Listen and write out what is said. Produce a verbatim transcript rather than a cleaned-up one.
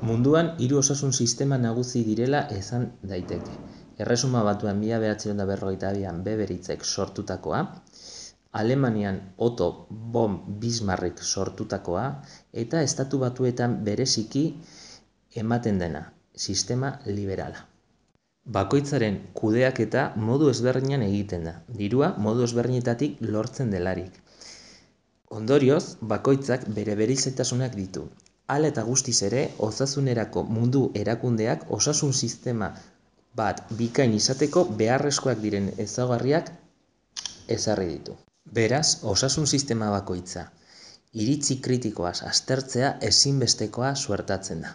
Munduan hiru osasun sistema nagusi direla esan daiteke. Erresuma Batuan mila bederatziehun eta berrogeita bian Beberitzek sortutakoa, Alemanian Otto von Bismarck sortutakoa eta Estatu Batuetan bereziki ematen dena, sistema liberala. Bakoitzaren kudeaketa modu ezberdinean egiten da, dirua modu ezberdinetatik lortzen delarik. Ondorioz, bakoitzak bere berezitasunak ditu. Hala eta guztiz ere, osasunerako mundu erakundeak osasun sistema bat bikain izateko beharrezkoak diren ezaugarriak ezarri ditu. Beraz, osasun sistema bakoitza iritzi kritikoaz aztertzea ezinbestekoa suertatzen da.